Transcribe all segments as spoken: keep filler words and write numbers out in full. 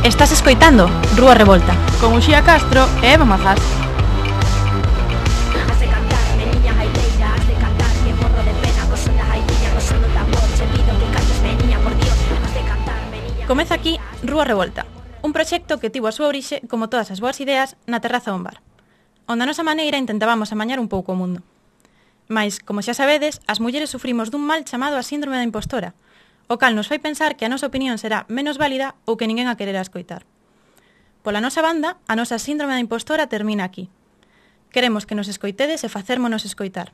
Estás escoitando Rúa Revolta con Uxía Castro e Eva Mazás. Comeza aquí Rúa Revolta, un proxecto que tivo a súa orixe, como todas as boas ideas, na terraza dun bar, onde a nosa maneira intentábamos amañar un pouco o mundo. Mais, como xa sabedes, as mulleres sufrimos dun mal chamado a síndrome da impostora, o cal nos fai pensar que a nosa opinión será menos válida ou que ninguén a quererá escoitar. Pola nosa banda, a nosa síndrome da impostora termina aquí. Queremos que nos escoitedes e facérmonos escoitar.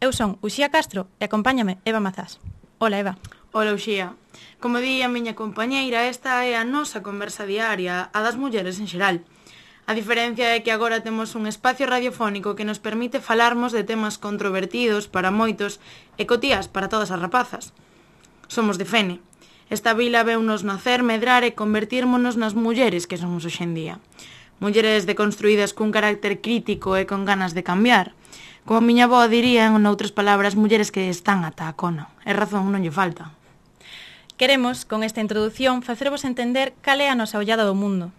Eu son Uxía Castro e acompáñame Eva Mazás. Hola, Eva. Hola, Uxía. Como di a miña compañeira, esta é a nosa conversa diaria, a das mulleres en xeral. A diferencia é que agora temos un espacio radiofónico que nos permite falarmos de temas controvertidos para moitos e cotías para todas as rapazas. Somos de Fene. Esta vila veunos nacer, medrar e convertírmonos nas mulleres que somos hoxendía. Mulleres deconstruídas cun carácter crítico e con ganas de cambiar. Como a miña avó diría, en outras palabras, mulleres que están ata a cona. E razón non lle falta. Queremos, con esta introdución, facervos entender cal é a nosa ollada do mundo.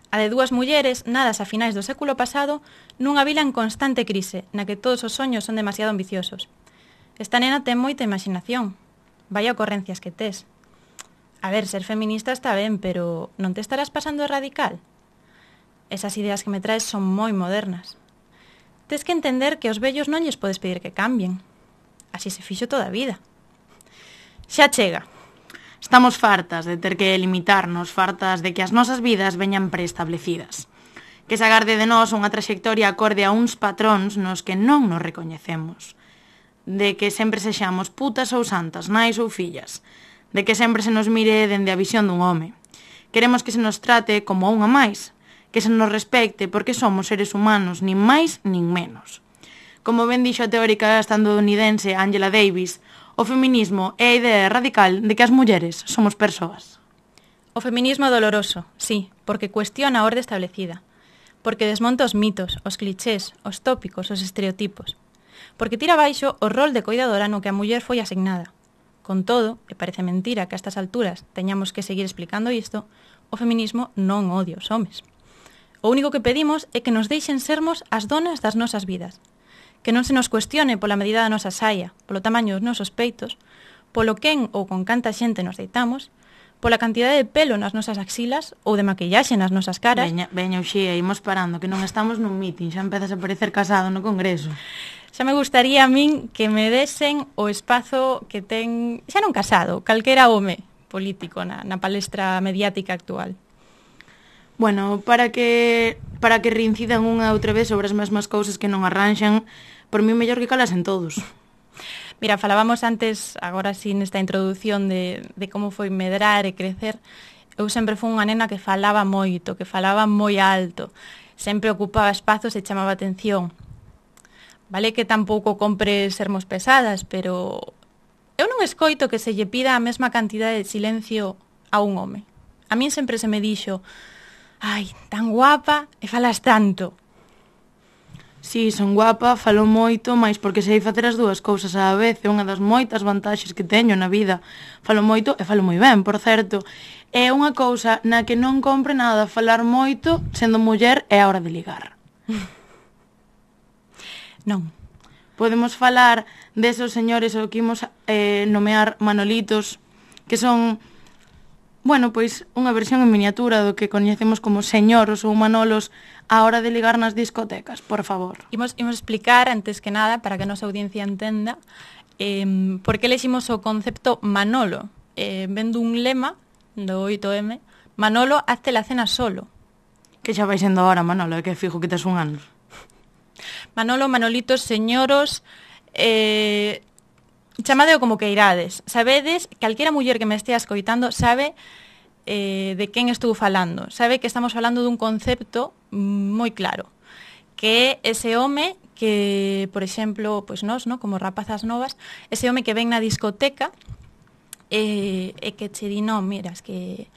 A de dúas mulleres, nadas a finais do século pasado, nunha vila en constante crise, na que todos os soños son demasiado ambiciosos. Esta nena ten moita imaginación. Vaya ocorrencias que tes. A ver, ser feminista está ben, pero non te estarás pasando de radical? Esas ideas que me traes son moi modernas. Tes que entender que aos vellos non lles podes pedir que cambien. Así se fixo toda a vida. Xa chega. Estamos fartas de ter que limitarnos, fartas de que as nosas vidas veñan preestablecidas. Que se agarde de nós unha trayectoria acorde a uns patróns nos que non nos recoñecemos. De que sempre sexamos putas ou santas, nais ou fillas. De que sempre se nos mire dende a visión dun home. Queremos que se nos trate como a unha máis, que se nos respecte porque somos seres humanos, nin máis nin menos. Como ben dixo a teórica estadounidense Angela Davis, o feminismo é a idea radical de que as mulleres somos persoas. O feminismo doloroso, sí, porque cuestiona a orde establecida. Porque desmonta os mitos, os clichés, os tópicos, os estereotipos. Porque tira abaixo o rol de coidadora no que a muller foi asignada. Con todo, e parece mentira que a estas alturas teñamos que seguir explicando isto, o feminismo non odia os homes. O único que pedimos é que nos deixen sermos as donas das nosas vidas. Que non se nos cuestione pola medida da nosa saia, polo tamaño dos nosos peitos, polo quen ou con canta xente nos deitamos, pola cantidade de pelo nas nosas axilas ou de maquillaxe nas nosas caras. Veña, veña, Uxía, imos parando, que non estamos nun meeting, xa empezas a parecer casado no congreso. Xa me gustaría a min que me desen o espazo que ten, xa non casado, calquera home político na, na palestra mediática actual. Bueno, para que para que reincidan unha outra vez sobre as mesmas cousas que non arranxan, por mí mellor que calasen todos. Mira, falábamos antes, agora sí, nesta introducción de, de como foi medrar e crecer. Eu sempre fui unha nena que falaba moito, que falaba moi alto, sempre ocupaba espazos e chamaba atención. Vale que tampouco compre sermos pesadas, pero eu non escoito que se lle pida a mesma cantidade de silencio a un home. A min sempre se me dixo, ai, tan guapa e falas tanto. Si, son guapa, falo moito, mais porque sei facer as dúas cousas á vez, é unha das moitas vantaxes que teño na vida. Falo moito e falo moi ben, por certo. É unha cousa na que non compre nada falar moito, sendo muller é a hora de ligar. Non. Podemos falar desos señores o que imos eh, nomear Manolitos, que son, bueno, pois unha versión en miniatura do que coñecemos como señoros ou Manolos á hora de ligar nas discotecas, por favor. Imos, imos explicar, antes que nada, para que a nosa audiencia entenda, eh, por que leximos o concepto Manolo. Eh, vendo un lema do oito eme, Manolo, hazte la cena solo. Que xa vai sendo ahora, Manolo, é que fijo que tes un ano. Manolo, Manolitos, señoros, eh, chamadeo como que irades. Sabedes, calquera muller que me estea escoitando sabe eh, de quen estou falando. Sabe que estamos falando dun concepto moi claro, que é ese home que, por exemplo, pois nós, no, como rapazas novas, ese home que ven na discoteca e, e que che di, non, mira, es que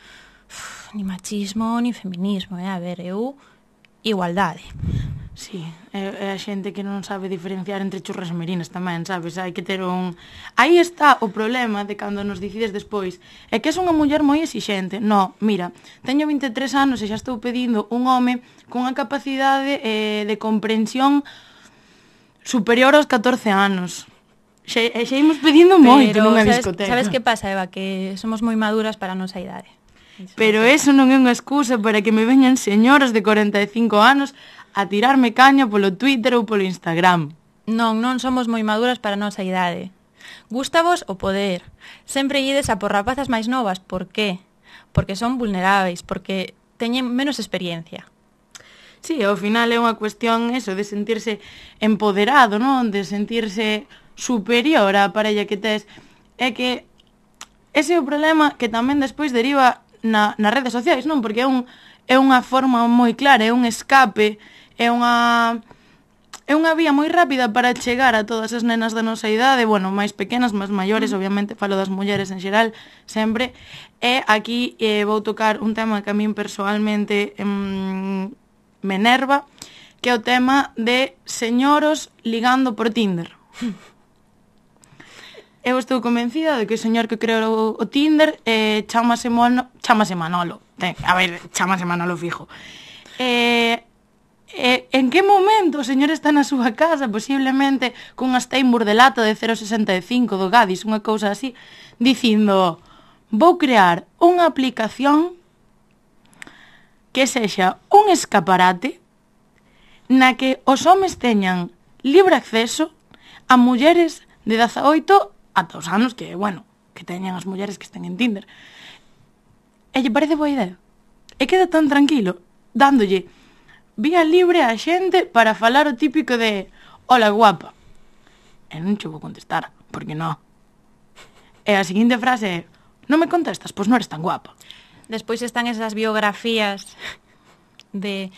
uf, ni machismo, ni feminismo, eh? A ver, eu, igualdade. Sí, é, é a xente que non sabe diferenciar entre churras e merinas tamén, sabes? Hai que ter un... Aí está o problema de cando nos decides despois. É que és unha muller moi exixente. No, mira, teño vinte e tres anos e xa estou pedindo un home con unha capacidade eh, de comprensión superior aos catorce anos. Xe, xa imos pedindo moito nunha sabes, discoteca. Sabes que pasa, Eva? Que somos moi maduras para a nosa idade. Eso Pero eso non é unha excusa para que me veñan señoras de corenta e cinco anos a tirarme caña polo Twitter ou polo Instagram. Non, non somos moi maduras para a nosa idade. Gústavos o poder. Sempre ides a por rapazas máis novas. Por qué? Porque son vulneráveis, porque teñen menos experiencia. Sí, ao final é unha cuestión eso, de sentirse empoderado, non? De sentirse superior á parella que tes. É que ese é o problema que tamén despois deriva na, nas redes sociais, non? Porque é, un, é unha forma moi clara, é un escape, é unha... É unha vía moi rápida para chegar a todas as nenas da nosa idade, bueno, máis pequenas, máis maiores, obviamente falo das mulleres en xeral, sempre. E aquí eh, vou tocar un tema que a min personalmente em, me enerva, que é o tema de señoros ligando por Tinder. Eu estou convencida de que o señor que creou o Tinder eh, chamase, Mono, chamase Manolo. Ten, a ver, chamase Manolo fijo. Eh... E, en que momento o señor está na súa casa, posiblemente cunha Steinburg de lata de cero coma sesenta e cinco do Gadis, unha cousa así, dicindo, vou crear unha aplicación que sexa un escaparate na que os homes teñan libre acceso a mulleres de dezaoito ata os anos que, bueno, que teñan as mulleres que estén en Tinder. E lle parece boa idea. E queda tan tranquilo, dándolle vía libre a xente para falar o típico de hola guapa. E non che vou contestar, porque non. E a seguinte frase é non me contestas, pois non eres tan guapa. Despois están esas biografías de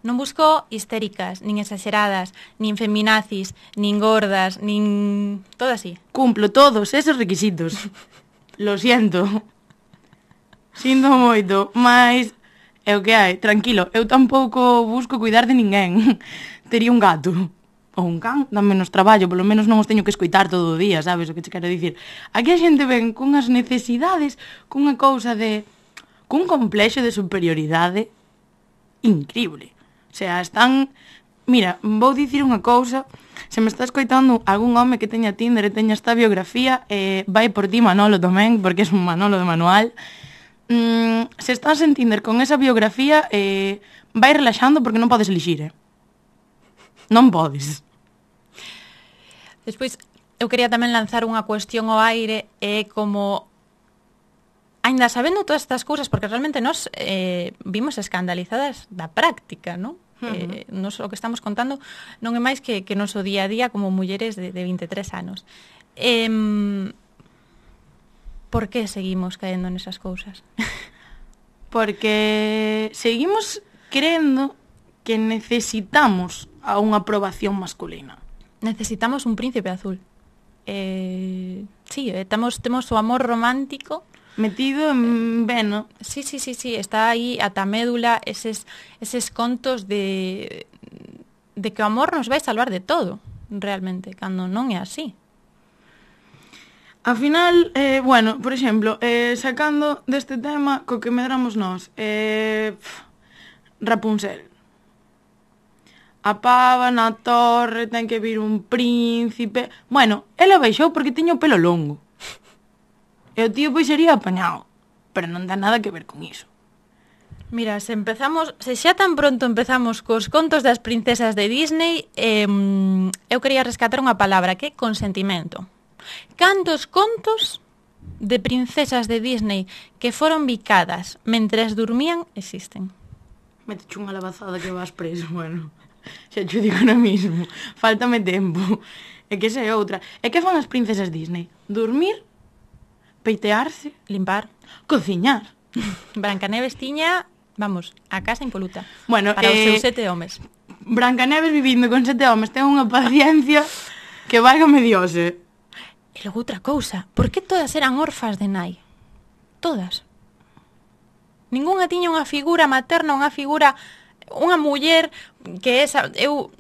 non busco histéricas, nin exageradas, nin feminazis, nin gordas, nin... todo así. Cumplo todos esos requisitos. Lo siento. Sinto moito, mas... É o que hai, tranquilo, eu tampouco busco cuidar de ninguén. Tería un gato ou un can, dá menos traballo, polo menos non os teño que escoitar todo o día, sabes o que te quero dicir? Aquí a xente ven cunhas necesidades, cunha cousa de... cun complexo de superioridade increíble. O sea, están... Mira, vou dicir unha cousa, se me está escoitando algún home que teña Tinder e teña esta biografía, eh, vai por ti Manolo tamén, porque é un Manolo de manual. Mm, se estás en Tinder con esa biografía, eh, vai relaxando porque non podes elixir, eh? Non podes. Despois, eu quería tamén lanzar unha cuestión ao aire, é eh, como... Ainda sabendo todas estas cousas, porque realmente nos eh, vimos escandalizadas da práctica, non? Uh-huh. Eh, nos, o que estamos contando non é máis que, que noso día a día como mulleres de, de vinte e tres anos. Eh, Por que seguimos caendo nesas cousas? Porque seguimos crendo que necesitamos a unha aprobación masculina. Necesitamos un príncipe azul. Eh, sí, eh, temos, temos o amor romántico metido en veno. Sí, sí, sí, sí, está aí ata médula eses, eses contos de, de que o amor nos vai salvar de todo, realmente, cando non é así. Ao final, eh, bueno, por exemplo, eh, sacando deste tema co que medramos nós, eh, pff, Rapunzel. A pava na torre, ten que vir un príncipe... Bueno, ela baixou porque tiña o pelo longo. E o tío pois sería apañado, pero non ten nada que ver con iso. Mira, se empezamos, se xa tan pronto empezamos cos contos das princesas de Disney, eh, eu quería rescatar unha palabra que é consentimento. Cantos contos de princesas de Disney que foron bicadas mentres dormían existen? Mete unha lavazada que vas preso, bueno. Xa te digo ahora mismo. Fáltame tempo. É que esa é outra. E que fan as princesas Disney? Dormir, peitearse, limpar, cociñar. Brancaneves tiña, vamos, a casa impoluta. Bueno, para eh, os seus sete homes. Brancaneves vivindo con sete homes ten unha paciencia que válgame Dios, eh. E logo outra cousa, por que todas eran orfas de nai? Todas. Ninguna tiña unha figura materna, unha figura unha muller que esa, eu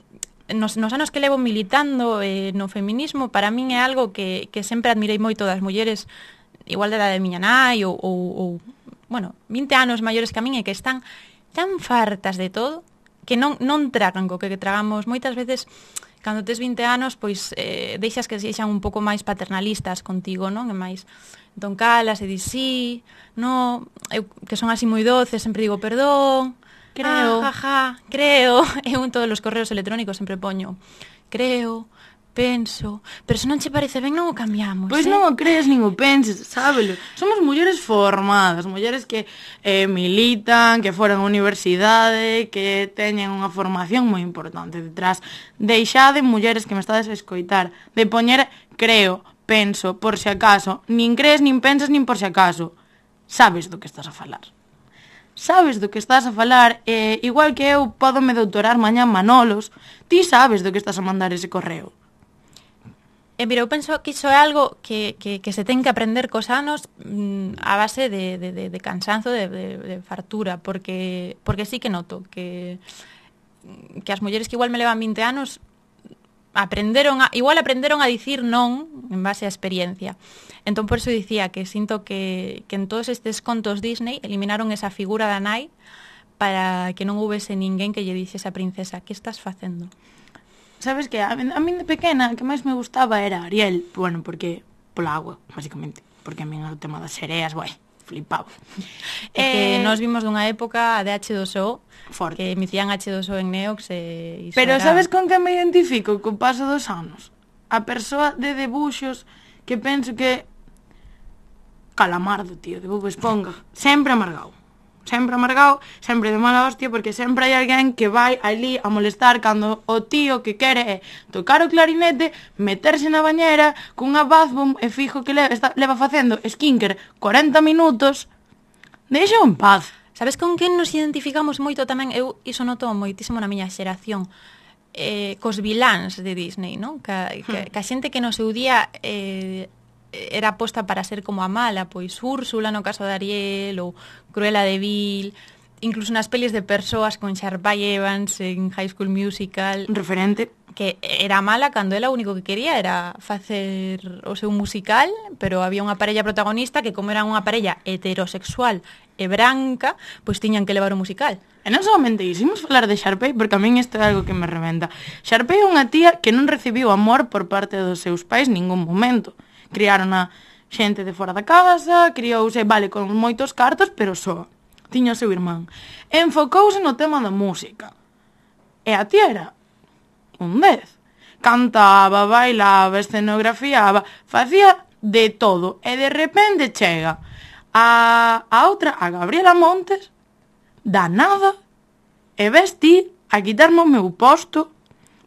nos, nos anos que levo militando eh, no feminismo, para min é algo que, que sempre admirei moito das mulleres igual da de miña nai ou, ou, ou bueno, vinte anos maiores que a min e que están tan fartas de todo que non, non tragan co que tragamos moitas veces. Cando tes vinte anos, pois eh, deixas que sexan un pouco máis paternalistas contigo, non? E máis, entón calas e dis sí, no, eu que son así moi doces, sempre digo perdón, creo, ah, jaja, creo, eu en todos os correos electrónicos sempre poño, creo, penso, pero se non che parece ben non o cambiamos. Pois eh? non o crees nin o penses, sábelo. Somos mulleres formadas, mulleres que eh, militan, que foran á universidade, que teñen unha formación moi importante detrás. Deixade, mulleres que me estades a escoitar, de poñer creo, penso, por se acaso. Nin crees, nin pensas, nin por se acaso. Sabes do que estás a falar. Sabes do que estás a falar, eh, igual que eu podo me doutorar mañá Manolos, ti sabes do que estás a mandar ese correo. E mira, eu penso que iso é algo que, que, que se ten que aprender cos anos mmm, a base de, de, de, de cansanzo, de, de, de fartura, porque porque sí que noto que, que as mulleres que igual me levan vinte anos aprenderon a, igual aprenderon a dicir non en base á experiencia. Entón, por eso dicía que sinto que, que en todos estes contos Disney eliminaron esa figura da nai para que non houvese ninguén que lle dixese a princesa que estás facendo. Sabes que a, a min de pequena que máis me gustaba era Ariel, bueno, porque pola agua, basicamente, porque a min o tema das sereas, vai, flipaba. É eh, que nós vimos dunha época de hache dos o, forte, que emitían hache dos o en Neox e iso pero era... sabes con que me identifico co paso dos anos? A persoa de debuxos que penso que Calamardo, tío, de Bob Esponja, sempre amargado. Sempre amargado, sempre de mala hostia, porque sempre hai alguén que vai ali a molestar cando o tío que quere é tocar o clarinete, meterse na bañera cunha bath bomb e fijo que leva, está, leva facendo skincare corenta minutos. Deixa en paz. Sabes con quen nos identificamos moito tamén? Eu iso noto moitísimo na miña xeración. Eh, cos viláns de Disney, non? Que, que, que a xente que no seu día... Eh, era posta para ser como a mala, pois Úrsula no caso de Ariel ou Cruella de Vil, incluso nas pelis de persoas con Sharpay Evans en High School Musical, referente, que era mala cando ela o único que quería era facer o seu musical, pero había unha parella protagonista que como era unha parella heterosexual e branca, pois tiñan que levar o musical. E non solamente iso, imos falar de Sharpay porque a min isto é algo que me reventa. Sharpay é unha tía que non recibiu amor por parte dos seus pais ningún momento. Criaron a xente de fora da casa, criouse, vale, con moitos cartos, pero só. Tiña o seu irmán. Enfocouse no tema da música. E a tía era un dez. Cantaba, bailaba, escenografiaba, facía de todo. E de repente chega a, a outra, a Gabriela Montes, da nada, e ves ti a quitarme o meu posto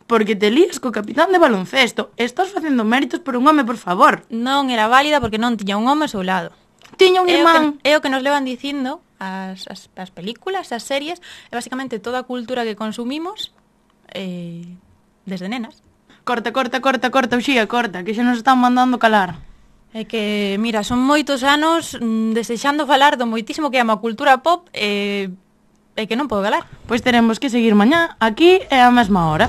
porque te lías co capitán de baloncesto. Estás facendo méritos por un home, por favor. Non era válida porque non tiña un home ao seu lado. Tiña un irmán. É o que, é o que nos levan dicindo as, as, as películas, as series, e basicamente toda a cultura que consumimos eh, desde nenas. Corta, corta, corta, corta, Uxía, corta, que xa nos están mandando calar. É que, mira, son moitos anos mm, desexando falar do moitísimo que ama a cultura pop e, e que non podo calar. Pois teremos que seguir mañá, aquí é a mesma hora.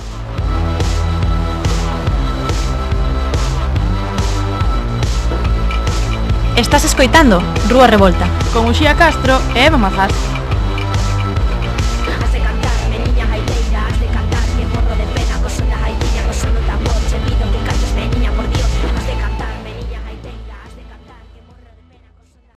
Estás escoitando Rúa Revolta con Uxía Castro e Eva Mazás.